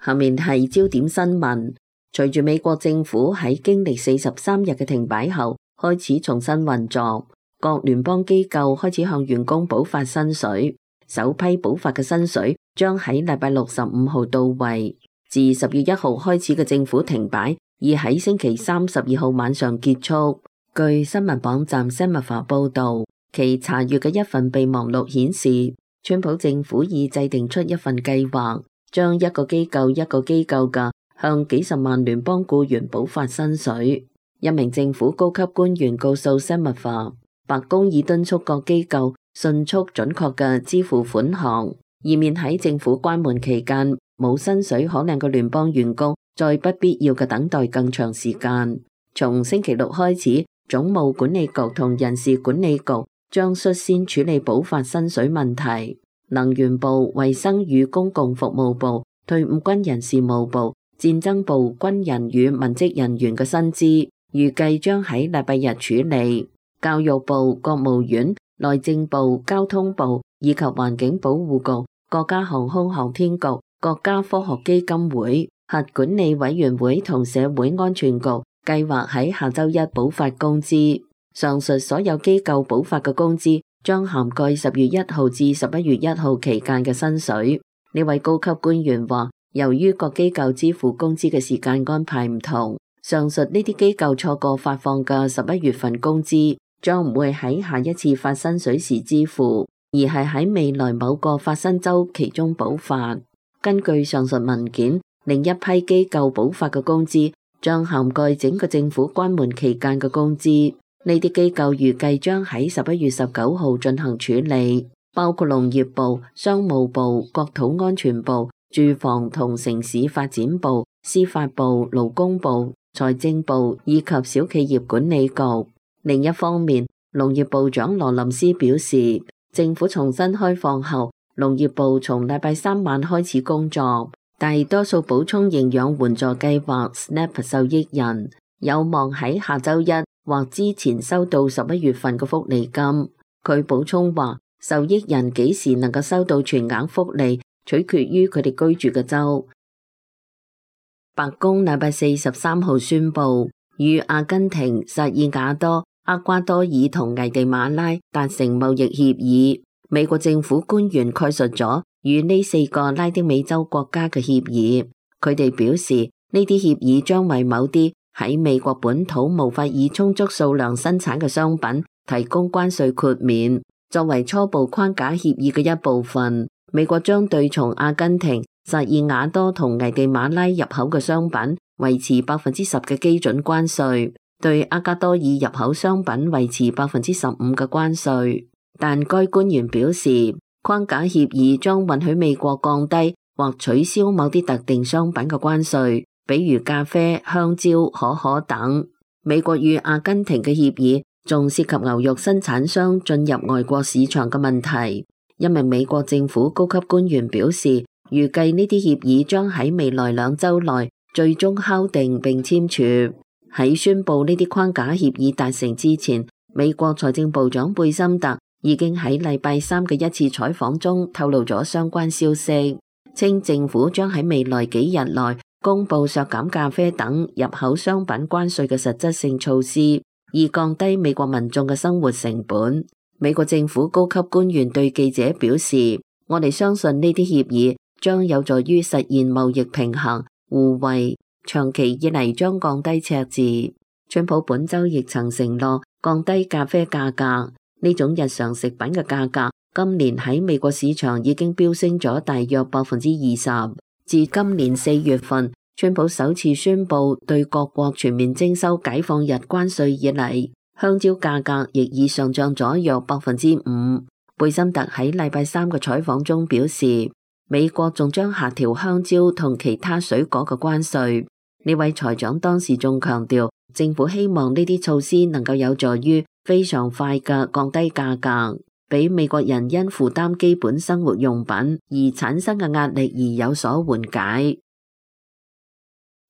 下面係焦點新聞。隨住美國政府喺經歷43日嘅停擺後，開始重新運作，各聯邦機構開始向員工補發薪水。首批補發嘅薪水將喺禮拜6、15號到位。自10月1號開始嘅政府停擺，已喺星期3、12號晚上結束。據新聞網站 Semaphore 報導，其查閱嘅一份備忘錄顯示，川普政府已制定出一份計劃，將一個機構一個機構嘅向幾十萬聯邦僱員補發薪水。一名政府高級官員告訴 Semaphore，白宮已敦促各機構迅速準確嘅支付款項，以免喺政府關門期間冇薪水可領嘅聯邦員工再不必要嘅等待更長時間。從星期六開始，總務管理局同人事管理局將率先處理補發薪水問題。能源部、衛生與公共服務部、退伍軍人事務部、戰爭部軍人與文職人員嘅薪資預計將喺禮拜日處理。教育部、國務院、內政部、交通部以及環境保護局、國家航空航天局、國家科學基金會、核管理委員會同社會安全局計劃喺下周一補發工資。上述所有機構補發嘅工資將涵蓋10月1號至11月1號期間嘅薪水。呢位高級官員話，由於各機構支付工資嘅時間安排唔同，上述呢啲機構錯過發放嘅11月份工資，將唔會喺下一次發薪水時支付，而係喺未來某個發薪週期中補發。根據上述文件，另一批機構補發嘅工資將涵蓋整個政府關門期間嘅工資。呢啲機構預計將喺11月19號進行處理，包括農業部、商務部、國土安全部、住房同城市發展部、司法部、勞工部、財政部以及小企業管理局。另一方面，農業部長羅林斯表示，政府重新開放後，農業部從禮拜3晚開始工作，大多數補充營養援助計劃 SNAP 受益人有望喺下周一或之前收到11月份嘅福利金。佢補充話，受益人幾時能夠收到全額福利，取決於佢哋居住嘅州。白宮禮拜43號宣布，與阿根廷、薩爾瓦多、厄瓜多爾同危地馬拉達成貿易協議。美國政府官員概述咗與呢4個拉丁美洲國家嘅協議。佢哋表示，呢啲協議將為某啲喺美國本土無法以充足數量生產嘅商品提供關稅豁免。作為初步框架協議嘅一部分，美國將對從阿根廷、薩爾瓦多同危地馬拉入口嘅商品維持10%嘅基準關稅，對厄瓜多爾入口商品維持15%嘅關稅。但該官員表示，框架協議將允許美國降低或取消某啲特定商品嘅關稅，比如咖啡、香蕉、可可等。美國與阿根廷嘅協議仲涉及牛肉生產商進入外國市場嘅問題。一名美國政府高級官員表示，預計呢啲協議將喺未來2週內最終敲定並簽署。喺宣布呢啲框架協議達成之前，美國財政部長貝森特已經喺禮拜3嘅一次採訪中透露咗相關消息，稱政府將喺未來幾日內公布削減咖啡等入口商品關稅嘅實質性措施，以降低美國民眾嘅生活成本。美國政府高級官員對記者表示，我哋相信呢啲協議將有助於實現貿易平衡、互惠，長期以嚟將降低赤字。川普本週亦曾承諾降低咖啡價格。呢種日常食品嘅價格，今年喺美國市場已經飆升咗大約20%。自今年4月份，川普首次宣布對各國全面徵收解放日關稅以嚟，香蕉價格亦已上漲咗約5%。貝森特喺禮拜3嘅採訪中表示，美國仲將下調香蕉同其他水果嘅關稅。呢位財長當時仲強調，政府希望呢啲措施能夠有助於非常快嘅降低價格，俾美國人因負擔基本生活用品而產生嘅壓力而有所緩解。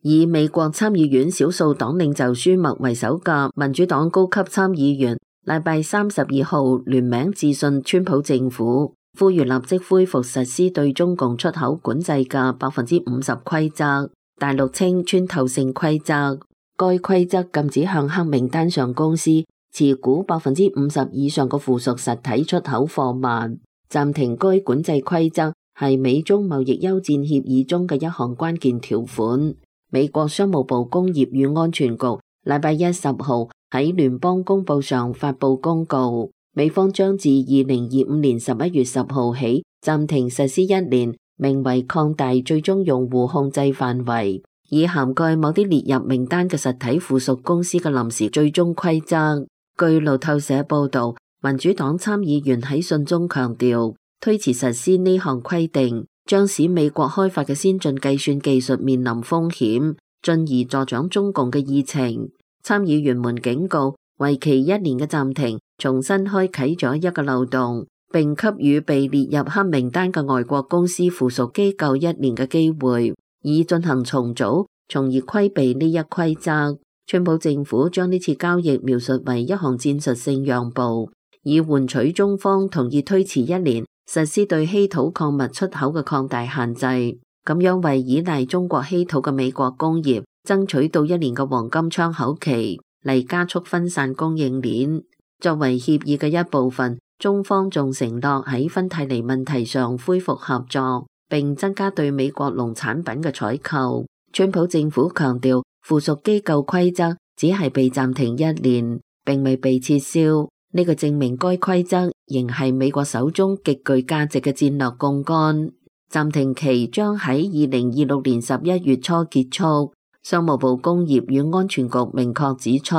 以美國參議院少數黨領袖舒默為首嘅民主黨高級參議員禮拜32號聯名致信川普政府，呼籲立即恢復實施對中共出口管制嘅50%規則，大陸稱穿透性規則。該規則禁止向黑名單上公司持股50%以上嘅附屬實體出口貨物。暫停該管制規則係美中貿易休戰協議中嘅一項關鍵條款。美國商務部工業與安全局禮拜一10號喺聯邦公報上發布公告，美方將自2025年11月10號起暫停實施1年，名為擴大最終用戶控制範圍，以涵蓋某啲列入名單嘅實體附屬公司嘅臨時最終規則。據路透社報道，民主黨參議員喺信中強調，推遲實施呢項規定將使美國開發嘅先進計算技術面臨風險，進而助長中共嘅議程。參議員們警告，為期1年嘅暫停重新開啟咗一個漏洞，並給予被列入黑名單嘅外國公司附屬機構1年嘅機會，以進行重組，從而規避呢一規則。川普政府將呢次交易描述為一項戰術性讓步，以換取中方同意推遲1年實施對稀土礦物出口嘅擴大限制，咁樣為依賴中國稀土嘅美國工業爭取到1年嘅黃金窗口期，嚟加速分散供應鏈。作為協議嘅一部分，中方仲承諾喺芬太尼問題上恢復合作，並增加對美國農產品嘅採購。川普政府強調，附屬機構規則只係被暫停1年，並未被撤銷。呢個證明該規則仍係美國手中極具價值嘅戰略槓桿。暫停期將喺2026年11月初結束。商務部工業與安全局明確指出，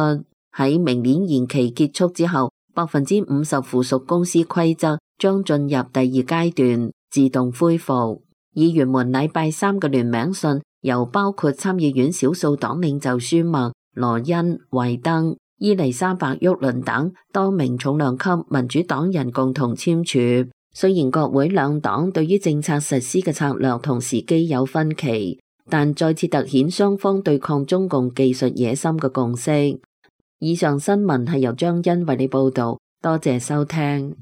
喺明年延期結束之後，50%附屬公司規則將進入第二階段，自動恢復。議員們禮拜三嘅聯名信由包括參議院少數黨領袖舒默、羅恩、惠登、伊麗莎白沃倫等多名重量級民主黨人共同簽署。雖然國會兩黨對於政策實施嘅策略同時機有分歧，但再次凸顯雙方對抗中共技術野心嘅共識。以上新聞係由張欣為你報道，多謝收聽。